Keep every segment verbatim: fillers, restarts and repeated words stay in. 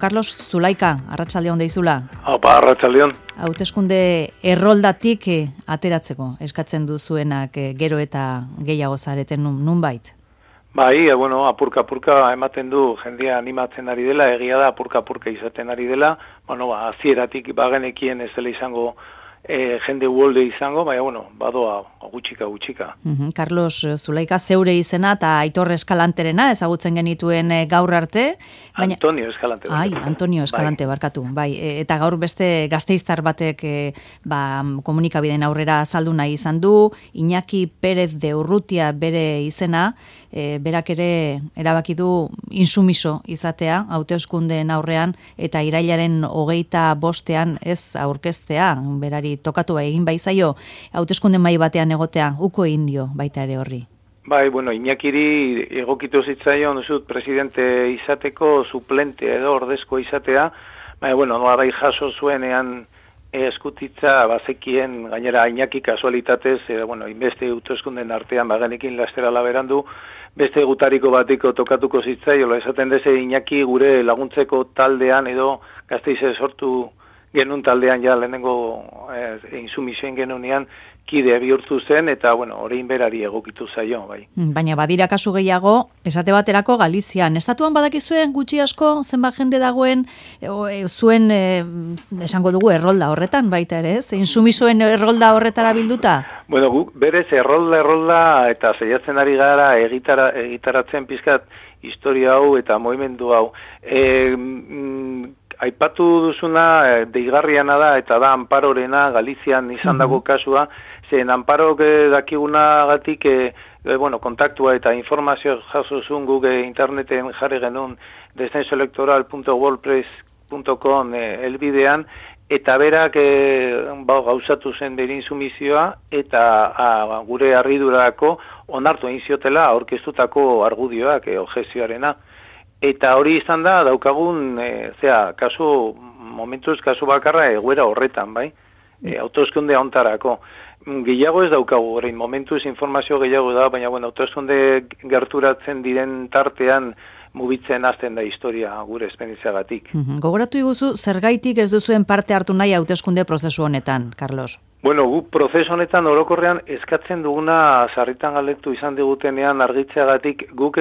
Carlos Zulaika, arratsaldeon deizula. Opa, arratsaldeon. Hauteskunde erroldatik eh, ateratzeko eskatzen duzuenak eh, gero eta gehiago zareten nun, nunbait. Bai, bueno, apurka-apurka ematen du jendea animatzen ari dela, egia da apurka-apurka izaten ari dela, bueno, ba, azieratik bagenekien ez dela izango e, jende uolde izango, baina, bueno, badoa gutxika, gutxika. Uh-huh. Carlos Zulaika zeure izena eta Aitor Eskalanterena ezagutzen genituen e, gaur arte. Baina... Antonio Eskalante. Ai, Antonio Eskalante, bai. Barkatu. Bai, e, eta gaur beste gasteiztar batek e, ba, komunikabideen aurrera azaldu nahi izan du, Iñaki Pérez de Urrutia bere izena, e, berak ere erabaki du insumiso izatea, hauteskundeen aurrean, eta irailaren hogeita bostean ez aurkeztea, berari tokatu bai egin baizaio, hauteskunde mai batean egotea, uko indio baita ere horri. Bai, bueno, Iñakiri egokitu zitzaion duzut presidente izateko, suplente edo ordezko izatea, bai, bueno, nola bai jaso zuenean eskutitza bazekien gainera Iñaki kasualitatez, e, bueno, inbeste hauteskunden artean bagenekin lasterala berandu, beste gutariko batiko tokatuko zitzaio, esaten deze Iñaki gure laguntzeko taldean edo Gasteize sortu genuen taldean ja lehenengo eh, insumisioen genunean kide bihurtu zen, eta, bueno, orain berari egokitu zaio, bai. Baina badira kasu gehiago, esate baterako Galizian. Estatuan badakizuen gutxi asko zenbat jende dagoen, e, zuen, e, esango dugu, errolda horretan baita ere, ez? Insumisoen errolda horretara bilduta? Bueno, guk berez errolda, errolda, eta zeiatzen ari gara egitara, egitaratzen pizkat historia hau eta movimendu hau. E, mm, Aipatu duzuna deigarriana da eta da Amparorena Galizian izan dago kasua, zen Amparok dakigunagatik e, e, bueno, kontaktua eta informazio jaso zuen guk e, interneten jarri genuen descensoelectoral punto wordpress punto com e, elbidean, eta berak e, ba, gauzatu zen bere insumizioa eta a, gure harridurako onartu egin ziotela aurkeztutako argudioak e, objezioarena. Eta hori izan da, daukagun, e, zera, kasu, momentuz kasu bakarra egoera horretan, bai? E, autoeskunde hontarako. Gehiago ez daukagu, orain momentuz informazio gehiago da, baina, bueno, autoeskunde gerturatzen diren tartean mugitzen hasten da historia gure esperientziagatik. Uh-huh. Gogoratu iguzu, zergaitik ez duzuen parte hartu nahi hauteskunde prozesu honetan, Carlos? Bueno, gu prozesu honetan orokorrean eskatzen duguna sarritan galdetu izan digutenean argitzeagatik, guk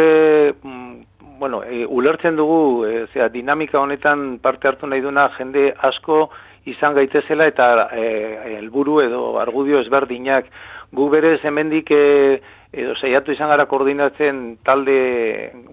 bueno, e, ulertzen dugu, e, zera, dinamika honetan parte hartu nahi duna jende asko izan gaitezela eta helburu e, edo argudio ezberdinak. Gu berez hemendik e, edo saiatu izan gara koordinatzen talde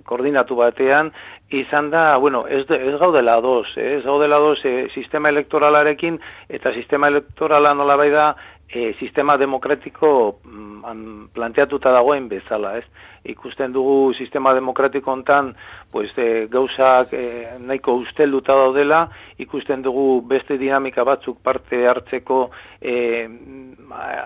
koordinatu batean, izan da, bueno, ez, ez gaudela dos, eh, ez gaudela dos e, sistema elektoralarekin, eta sistema elektorala nolabai da e, sistema demokratiko mm, planteatuta dagoen bezala, ez? Ikusten dugu sistema demokratiko hontan, pues, e, gauzak e, nahiko ustelduta daudela, ikusten dugu beste dinamika batzuk parte hartzeko e,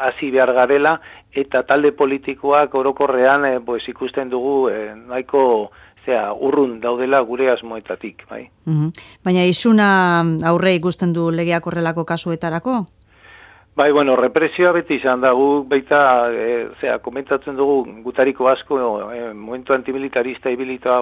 hasi behar garela, eta talde politikoak orokorrean e, pues, ikusten dugu e, nahiko zera, urrun daudela gure asmoetatik, bai. Uh-huh. Baina isuna aurre ikusten du legeak horrelako kasuetarako? Bai, bueno, represioa beti izan da, gu baita, e, zera, komentatzen dugu gutariko asko, e, momentu antimilitarista ibilita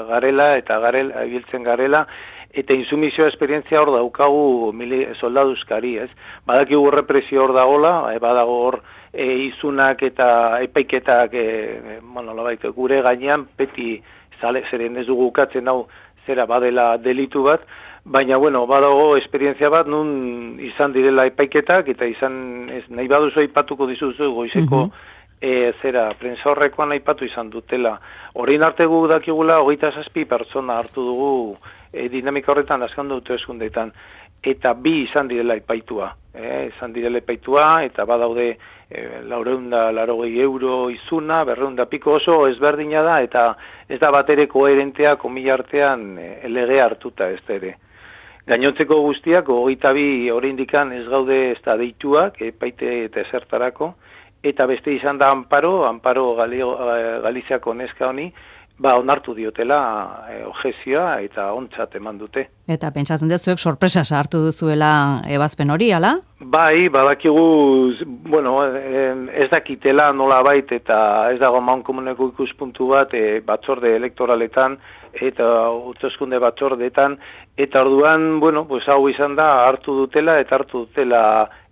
garela, eta garela, ibiltzen garela, eta insumizioa esperientzia hor daukagu mili, soldaduzkari, ez? Badakigu represio hor dagoela, e, badago hor e, izunak eta epaiketak, e, bueno, labait, gure gainean, beti zale, zeren ez dugu ukatzen hau zera badela delitu bat, baina, bueno, badago esperientzia bat, nun izan direla epaiketak, eta izan, ez, nahi baduzu aipatuko dizuzu, goizeko, uh-huh. e, zera, prensa horrekoan aipatu izan dutela. Horrein arte gu dakigula, hogeita zazpi pertsona hartu dugu e, dinamika horretan azkan dute eskundetan, eta bi izan direla epaitua. E, izan direla epaitua, eta badaude e, laureunda, larogei euro izuna, berreunda piko oso ezberdina da, eta ez da bat ere koherentea komila artean e, lege hartuta ez da ere. Gainontzeko guztiak, hogeita bi oraindikan ez gaude ez da deituak, epaite eta esertarako, eta beste izan da Amparo, Amparo Galiziako neska honi, ba, onartu diotela e, objezioa eta ontzat eman dute. Eta pentsatzen dezuek sorpresa sartu duzuela ebazpen hori, ala? Bai, badakigu, bueno, ez dakitela nolabait eta ez dago mankomuneko ikuspuntu bat e, batzorde elektoraletan eta hauteskunde batzordeetan eta orduan, bueno, pues hau izan da hartu dutela eta hartu dutela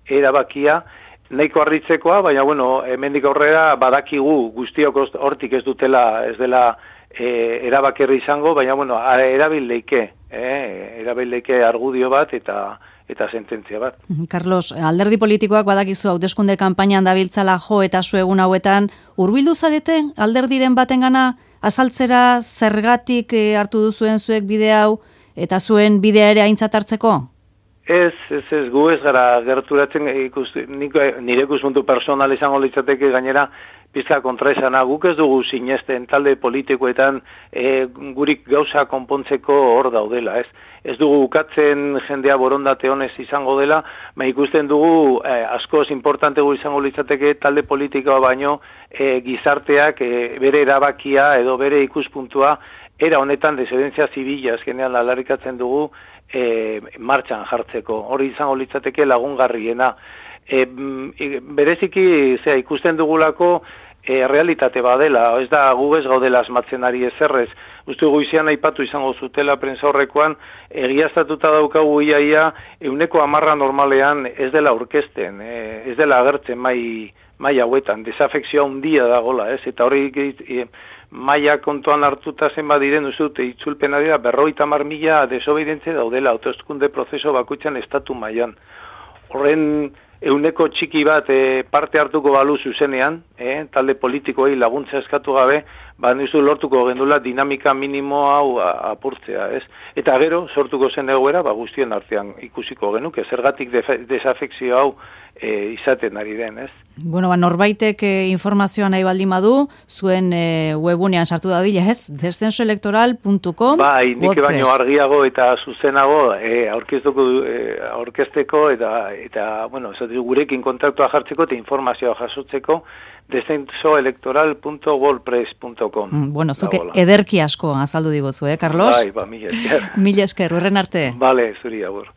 erabakia, nahiko harritzekoa, baina bueno, hemendik aurrera badakigu guztiok hortik ez dutela, ez dela e, erabakerri izango, baina bueno, erabil leike, eh, erabil leike argudio bat eta eta sententzia bat. Carlos, alderdi politikoak badakizu hauteskunde kanpainan dabiltzala jo eta zu egun hauetan hurbildu zarete alderdiren batengana azaltzera zergatik hartu duzuen zuek bide hau eta zuen bidea ere aintzat hartzeko? Ez, ez, ez, gu ez gara gerturatzen, ikus, nire ikuspuntu personal izango litzateke gainera pizka kontraesana, guk ez dugu sinesten talde politikoetan e, gurik gauza konpontzeko hor daudela, ez? Ez dugu ukatzen jendea borondate honez izango dela, ma ikusten dugu eh, askoz importantegu izango litzateke talde politikoa baino eh, gizarteak eh, bere erabakia edo bere ikuspuntua era honetan desedentzia zibila azkenean alarrikatzen dugu eh, martxan jartzeko. Hori izango litzateke lagungarriena. E, bereziki zera, ikusten dugulako e, realitate badela, ez da gu ez gaudela asmatzen ari ezerrez. Uste goizean aipatu izango zutela prensa horrekoan, egiaztatuta daukagu iaia euneko hamarra normalean ez dela aurkezten, e, ez dela agertzen mai, mai hauetan, desafekzioa handia dagola, ez? Eta hori e, maila kontuan hartuta zenbat diren duzute, itzulpena dira berrogeita hamar mila desobedientzia daudela, hauteskunde prozeso bakoitzan estatu mailan. Horren euneko txiki bat e, parte hartuko balu zuzenean, e, talde politikoei laguntza eskatu gabe, ba nizu lortuko gendula dinamika minimo hau apurtzea, ez? Eta gero, sortuko zen egoera, ba guztien artean ikusiko genuke, zergatik desafekzio hau e, izaten ari den, ez? Bueno, ba, norbaitek e, informazioa nahi baldin badu, zuen e, webunean sartu dadila, ez? descenso electoral puntu com Bai, nik baino argiago eta zuzenago e, aurkeztuko e, aurkezteko eta, eta bueno, gurekin kontaktua jartzeko eta informazioa jasotzeko descenso electoral puntu wordpress puntu com. Mm, bueno, zuke ederki asko azaldu diguzu, eh, Carlos? Bai, ba, mila esker. Mila esker, horren arte. Bale, zuri, agur.